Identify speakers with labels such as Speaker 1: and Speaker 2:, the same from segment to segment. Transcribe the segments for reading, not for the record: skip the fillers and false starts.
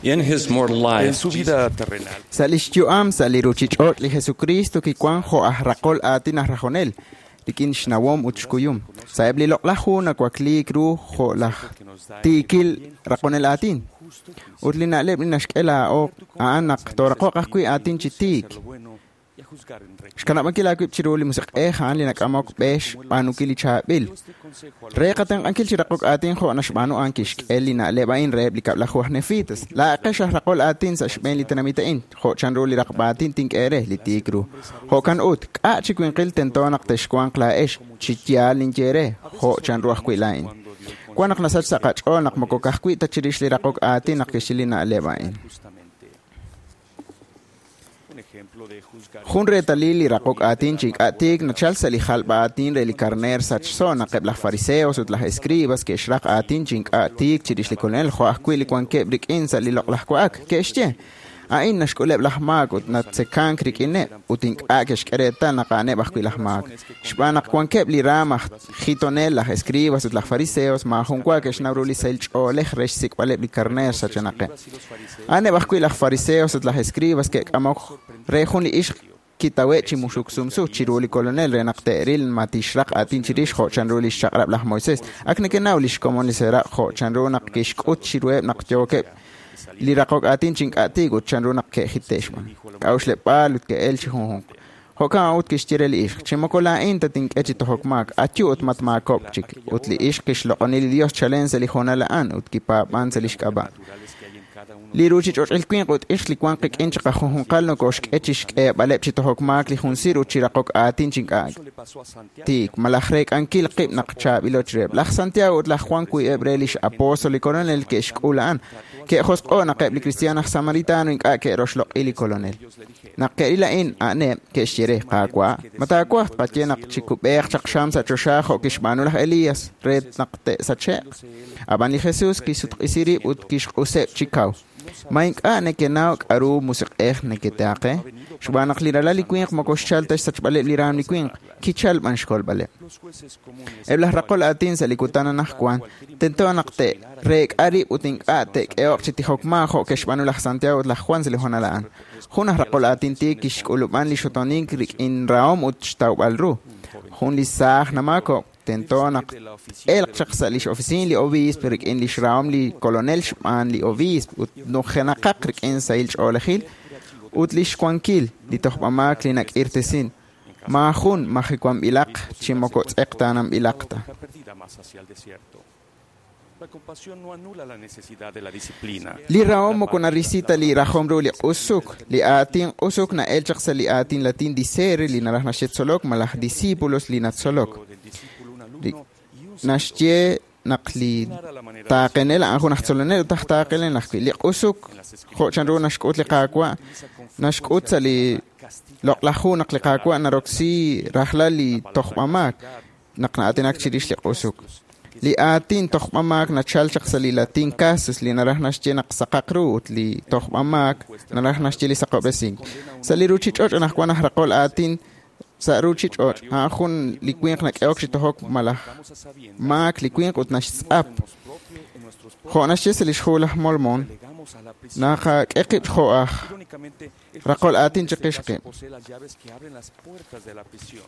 Speaker 1: In his mortal life,
Speaker 2: En su vida terrenal,
Speaker 3: Sa' lix yu'am sa' li ruchich'och' li Jesucristo kiwan jo' aj raqol aatin aj rajonel, rik'in xnawom ut xkuyum. Sa'eb' li loq'laj hu nawakliik ru jo' laj tiikil raqonel aatin. Ut li na'leb' li naxk'e laa'o a'an naq tooraqoq ajwi' aatin chi tiik. Xkanab'ankil aawib' chiru li musiq'ej a'an li nak'amok b'e xb'aanunkil li chaab'il. Re qatenq'ankil chi raqok aatin jo' naxb'aanu a'an kixk'e li na'leb' a'in reheb' li kab'laju aj nefitas. Laa'aqex aj raqol aatin sa' xb'een li tenamit a'in, jo' chanru li raqb'a aatin tink'e eere, li tiik ru. Jo'kan ut, k'a' chi winqil tento naq texwanq laa'ex, chi yaal ninye eere, jo' chanru ajwi' laa'in. Wan naq nasach sa' qach'ool naq moko ka'ajwi' ta chirix li raqok aatin naq kixye li na'leb' a'in.
Speaker 2: justamente. Un ejemplo de juzgar
Speaker 3: Jun reetalil li raqok aatin chi ink'a' tiik nachal sa' li jalb'a aatin re li karneer sachso naq eb' laj fariseos ut laj escribas ke'xraq aatin chi ink'a' tiik chirix li Kolonel jo' ajwi' li wankeb' rik'in sa' li loq'laj wa'ak. Ke'xye, a'in naxk'uleb' laj maak ut natzekank rik'ineb' ut ink'a' ke'xk'e reetal naq a'aneb' ajwi' laj maak. Xb'aan naq wankeb' li raam aj jitonel, laj escribas ut laj fariseos maajun wa ke'xnaw ru li sahil ch'oolej re xsik'b'aleb' li karneer sachenaqeb'. A'aneb' ajwi' laj fariseos ut laj escribas ke'k'amok re jun li ixq kitawe' chi muxuk sumsu chiru li Kolonel re naq te'ril ma tixraq aatin chirix jo' chanru li xchaq'rab' laj Moisés. Ak nekenaw li xkomon li seraq' jo' chanru naq kixk'ut chiruheb' naq yookeb' li raqok aatin chi ink'a' tiik ut chanru naq ke'jite' xb'aan. K'a'uxleb'aal ut ke'el chi junjunq. Jo'kan ut kixye re li ixq, chi moko laa'in tatink'e chi tojok maak, ayu ut matmaakob'k chik. Ut li ixq kixloq'oni li Dios chalen sa' li hoonal a'an ut kipaab'an sa' lix k'ab'a'.
Speaker 2: naturales que hay en cada uno
Speaker 3: Li ruchich'och'il winq ut ixq li wank qik'in chiqajunjunqal nokoxk'e chi xk'eeb'aleb' chi tojok maak li jun sir ut chi raqok aatin chi ink'a'
Speaker 2: Eso le pasó a Santiago.
Speaker 3: tiik malaj reek'ankil qib' naq chaab'ilo chiruheb'. Laj Santiago ut laj Juan wiib'eb' re lix apóstol li Kolonel ke'xk'ul a'an. Ke'josq'o' naq eb' li kristiaan aj Samaritano ink'a' ke'roxloq'i li Kolonel.
Speaker 2: Dios le dije,
Speaker 3: Naq ke'ril a'in, a'aneb' ke'xye re, Qaawa', ma taawaj tqaye naq chikub'eeq chaq xam sa' choxa jo' kixb'aanu laj Elías re naq te'sache'q. Ab'an li Jesús kisutq'isi rib' ut kixq'useb' chi kaw. Ma ink'a' nekenaw k'a'ru musiq'ej neketeaqe? Xb'aan naq li ralal li winq moko xchal ta xsachb'aleb' li raam li winq, kichal b'an xkolb'aleb'.
Speaker 2: los jueces comunes
Speaker 3: Eb' laj raqol aatin sa' li kutan anaqwan tento naq te'reek'a rib' ut ink'a' te'k'ehoq chi tijok maa jo' ke'xb'aanu laj Santiago ut laj Juan sa' li hoonal a'an. Jun aj raqol aatin tiik kixk'ulub'an li xotonink rik'in rahom ut xtawb'al ru. Jun li saaj namaakok tento naq elq chaq sa' lix oficina li obiisp rik'in lix rahom li kolonel xb'aan li obiisp ut nujenaqaq rik'in sahil ch'oolejil ut lix wankil li tojb'amaak li nak'irtesin. Maajun majiwanb'ilaq chi moko tz'eqtaananb'ilaq ta.
Speaker 2: oveja perdida más hacia el desierto. La compasión no anula la necesidad de la disciplina.
Speaker 3: Li rahom moko narisi ta li rajom ru li q'usuk. Li aatin q'usuk na'el chaq sa' li aatin latin dicere li naraj naxye tzolok malaj discípulos li natzolok.
Speaker 2: Del discípulo un
Speaker 3: Li
Speaker 2: alumno y un
Speaker 3: naxye naq li taaqenel a'an jun aj tzolonel ut aj taaqenel ajwi'. Li q'usuk jo' chanru naxk'ut li Qaawa' naxk'ut sa' li loq'laj hu naq li Qaawa' naroksi rajlal li tojb'amaak naq na'aatinak chirix li q'usuk. Li aatin tojb'amaak nachal chaq sa' li latin casus li naraj naxye naq saqaq ru ut li tojb'amaak naraj naxye li saqob'resink. Sa' li ruchich'och' anaqwan aj raqol aatin sa' ruchich'och' a'an jun li winq nak'ehok chi tojok malaj
Speaker 2: Vamos a sabiendas
Speaker 3: maak li winq ut naxtz'ap.
Speaker 2: tenemos propio en nuestros
Speaker 3: Jo' naxye sa' lix hu laj Mormon,
Speaker 2: delegamos a la prisión.
Speaker 3: naqak'e qib' jo' aj
Speaker 2: Irónicamente, el
Speaker 3: raqol
Speaker 2: juez
Speaker 3: aatin
Speaker 2: en este
Speaker 3: chiqix
Speaker 2: caso
Speaker 3: qib'.
Speaker 2: posee las llaves que abren las puertas de la prisión,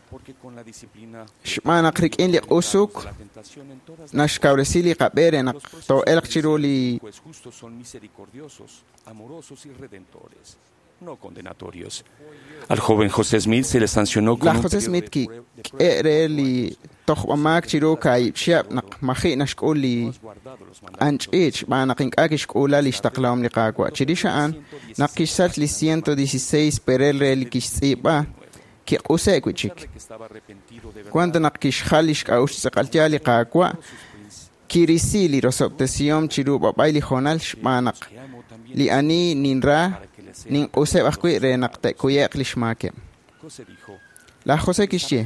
Speaker 2: porque con la disciplina
Speaker 3: Xb'aan naq rik'in li q'usuk
Speaker 2: de la tentación en todas las
Speaker 3: naxkawresi li qab'e re naq
Speaker 2: Los procesos
Speaker 3: too'elq chiru li
Speaker 2: del juez justo son misericordiosos, amorosos y redentores, no condenatorios. Al joven José Smith se le sancionó con
Speaker 3: Laj
Speaker 2: un
Speaker 3: José
Speaker 2: periodo
Speaker 3: Smith
Speaker 2: de
Speaker 3: ki
Speaker 2: prueba
Speaker 3: k'e re li tojb'amaak chiru kaahib' chihab' naq maji' naxk'ul li
Speaker 2: no has guardado los mandamientos.
Speaker 3: q'anch'iich xb'aan naq ink'a' kixk'uula li xtaqlahom li Qaawa'. Chirix a'an, naq kixsach li 116 perel re li kixtz'iib'a, kiq'use' wi' chik.
Speaker 2: A pesar de que estaba arrepentido de verdad,
Speaker 3: Cuando naq kixjal li xk'a'uxl tz'aqal yaal li Qaawa', kirisi li rosob'tesihom chiru b'ab'ay li hoonal xb'aan naq
Speaker 2: te amo también
Speaker 3: li ani ninra
Speaker 2: para que le sea.
Speaker 3: ninq'useb' ajwi' re naq te'kuye'q li xmaakeb'.
Speaker 2: José dijo,
Speaker 3: Laj José kixye,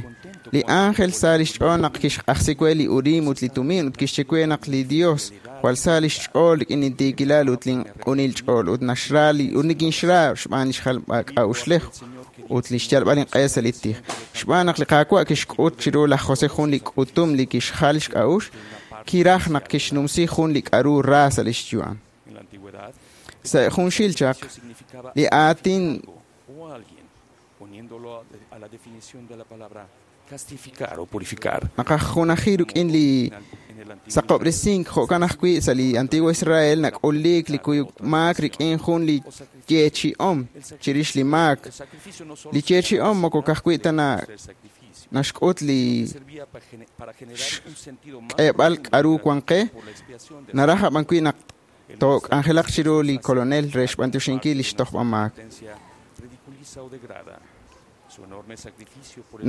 Speaker 3: li ángel sa lix ch'ool naq kixq'ajsi we li Urim ut li Tumim ut kixye we naq li Dios jwal sa lix ch'ool rik'in intiikilal ut linq'unil ch'ool ut naxra li ut nikinxra xb'aan lix jalb'ak'a'uxlej ut lix yalb'al inq'e sa' li tij. Xb'aan naq li Qaawa' kixk'ut chiru laj José jun li k'utum li kixjal xk'a'uxl, kiraj naq kixnumsi jun li k'a'ru ra sa' lix yu'am.
Speaker 2: en la antigüedad,
Speaker 3: Sa' junxil chaq, li aatin naqajunaji rik'in li saqob'resink, jo'kan ajwi' sa' li Antiguo Israel nak'uliik li kuyuk maak rik'in jun li yeechi'om chirix li maak. Li yeechi'om moko ka'ajwi' ta naxk'ut li xk'eeb'al k'a'ru wan qe, naraj ab'an wi' naq took'anjelaq chiru li Kolonel re xb'anyoxinkil li xtojb'a maak.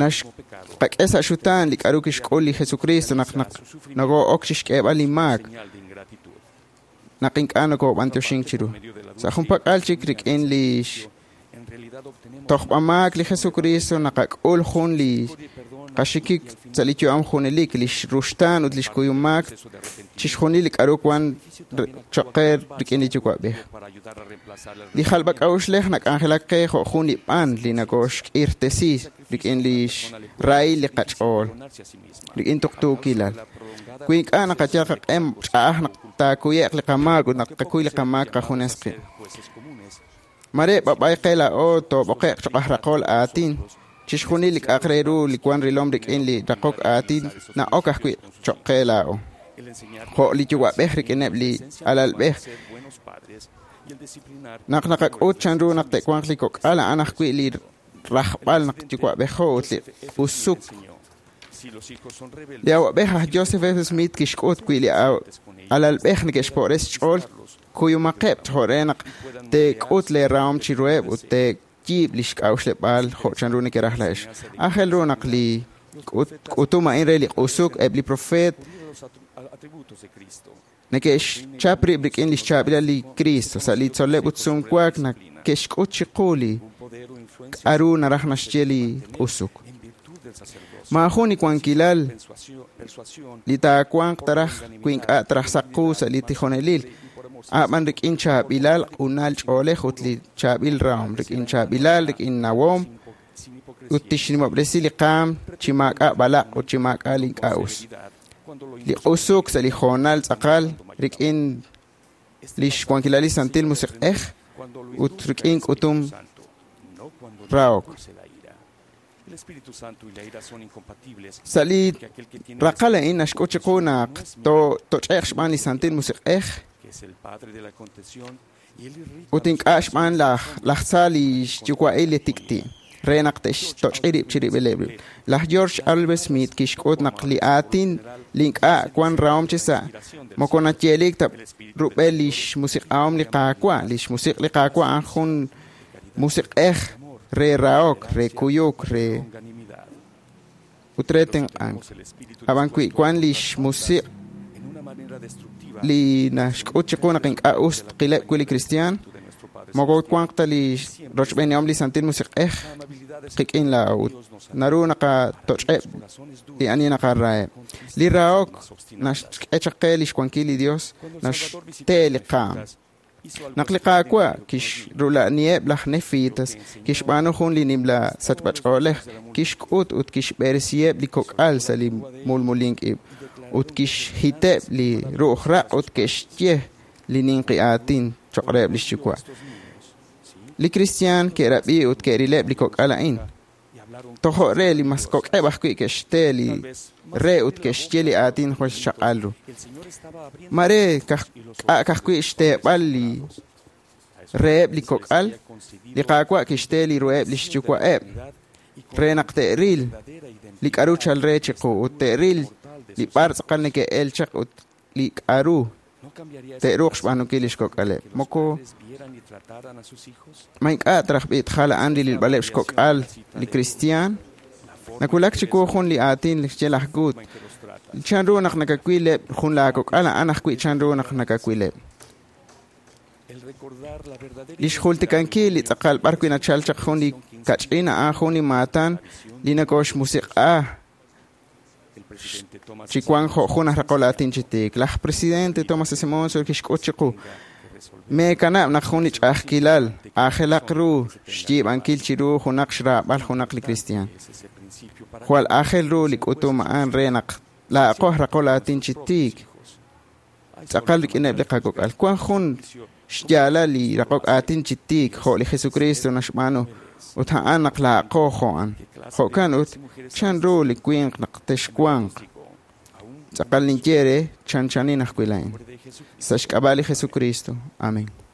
Speaker 3: Naxqak'e sa' xutaan li k'a'ru kixk'ul li Jesucristo naq noko'ok chixk'eeb'al li maak, naq ink'a' nokob'antioxink chiru. Sa' junpak'al chik rik'in li tojb'a maak li Jesucristo naqak'ul jun li qaxikik sa' li yu'am junelik, li ruxtaan ut li xkuyum maak chixjunil li k'a'ru wan choq' qe rik'in li Yuwa'b'ej. Li jalb'ak'a'uxlej nak'anjelak qe jo' jun li b'an li nokoxk'irtesi rik'in li xrahil li qach'ool, rik'in tuqtuukilal. Wi ink'a' naqayal qaq'em ch'a'aj naq taakuye'q li qamaak ut naq tqakuy li qamaak qajunes qib'. Mare b'ab'ay qe laa'o toob'oqe'q choq' aj raqol aatin, chixjunil li k'a'aq re ru li wan rilom rik'in li raqok aatin na'ok ajwi' choq' qe laa'o. Jo' li yuwa'b'ej rik'ineb' li alalb'ej. Naq naqak'ut chanru naq te'wanq li kok'al a'an ajwi' li rajb'al naq yuwa'b'ejo ut li usuk. Li awa'b'ej aj Joseph F. Smith kixk'ut wi' li alalb'ej neke'xpo'res xch'ool kuyumaqeb' jo' re naq teek'ut lee rahom chiruheb' ut teeyiib' li xk'a'uxleb'aal jo' chanru nekeraj laa'ex. Aajel ru naq li k'utum a'in re li q'usuk eb' li profeet neke'xchap rib' rik'in li xchaab'ilal li Cristo sa' li tzol'leb' ut sumwaak neke'xk'ut chiqu li k'a'ru naraj naxye li q'usuk. Maajun li wankilal li taawanq taraj wi ink'a' taraj saq qu sa' li tijonelil, a'b'an rik'in chaab'ilal q'unal ch'oolej ut li chaab'il rahom, rik'in chaab'ilal, rik'in nawom, ut tixnimob'resi li qaam chi maak'a' b'alaq' ut chi maak'a' li ink'a' us. Li q'usuk sa' li hoonal tz'aqal rik'in li xwankilal li Santil Musiq'ej ut rik'in k'utum rahok. Sa' li raqal a'in naxk'ut chiqu naq toch'e'q xb'aan li Santil Musiq'ej ut ink'a' xb'aan laj tza li xyuwa'il li tik'ti' re naq te'xtoch'i rib' chirib'ileb' rib'. Laj George Albert Smith kixk'ut naq li aatin li ink'a' wan rahom chi sa' moko nayeelik ta rub'el li xmusiq'ahom li Qaawa'. Li xmusiq' li Qaawa' a'an jun musiq'ej re rahok, re kuyuk, re ut re tenq'ank. Ab'an wi wan li xmusiq' li naxk'ut chiqu naq ink'a' us tqileb' wi' li kristiaan, moko wanq ta li rochb'eenihom li Santil Musiq'ej qik'in laa'o ut naru naqatoch'eb' li ani naqaraheb'. Li rahok naxk'e chaq qe li xwankil li Dios, naxte li qaam. Naq li Qaawa' kixrula'niheb' laj Nefitas, kixb'aanu jun li nimla sachb'ach'oolej, kixk'ut ut kixb'eresiheb' li kok'al sa' li mulmulink ib', ut kixhiteb' li ru'uj raq' ut ke'xye li ninqi aatin choq' reheb' lix yuwa'. Li kristiaan ke'rab'i ut ke'rileb' li kok'al a'in. Tojo' re li mas kok'eb' ajwi' ke'xte li re ut ke'xye li aatin jwal xchaq'al ru. Mare k'a' ka'ajwi' xteeb'al li reheb' li kok'al, li Qaawa' kixte li ruheb' lix yuwa'eb' re naq te'ril li k'a'ru chal re chiqu ut te'ril li b'ar tz'aqal neke'el chaq ut li k'a'ru te'ruuq xb'aanunkil lix kok'aleb'. Moko ma ink'a' taraj b'i' tjal a'an li rilb'aleb' xkok'al li kristiaan. Nawulak chiwu jun li aatin li xye laj Gut. Chanru naq nakawileb' jun laakok'al a'an ajwi' chanru naq nakawileb'. Li xjultikankil li tz'aqal b'ar wi' nachal chaq jun li kach'in a'an jun li maatan li nokoxmusiq'a chi wank jo' jun aj raqol aatin chi tiik. Laj presidente Thomas S. Monson kixk'ut chiqu meekanab' naq jun li ch'a'ajkilal aajelaq ru xyiib'ankil chiru junaq xraab'al junaq li kristiaan. Jwal aajel ru li k'utum a'an re naq laa'aqo aj raqol aatin chi tiik tz'aqal rik'ineb' li qakok'al. Wan jun xyaalal li raqok aatin chi tiik jo' li Jesukristo naxb'aanu, ut a'an naq laa'aqo jo' a'an. Jo'kan ut, chan ru li winq naq texwanq? Tz'aqal ninye eere, chanchanin ajwi' laa'in. Sa' xk'ab'a' li Jesukristo. Amen.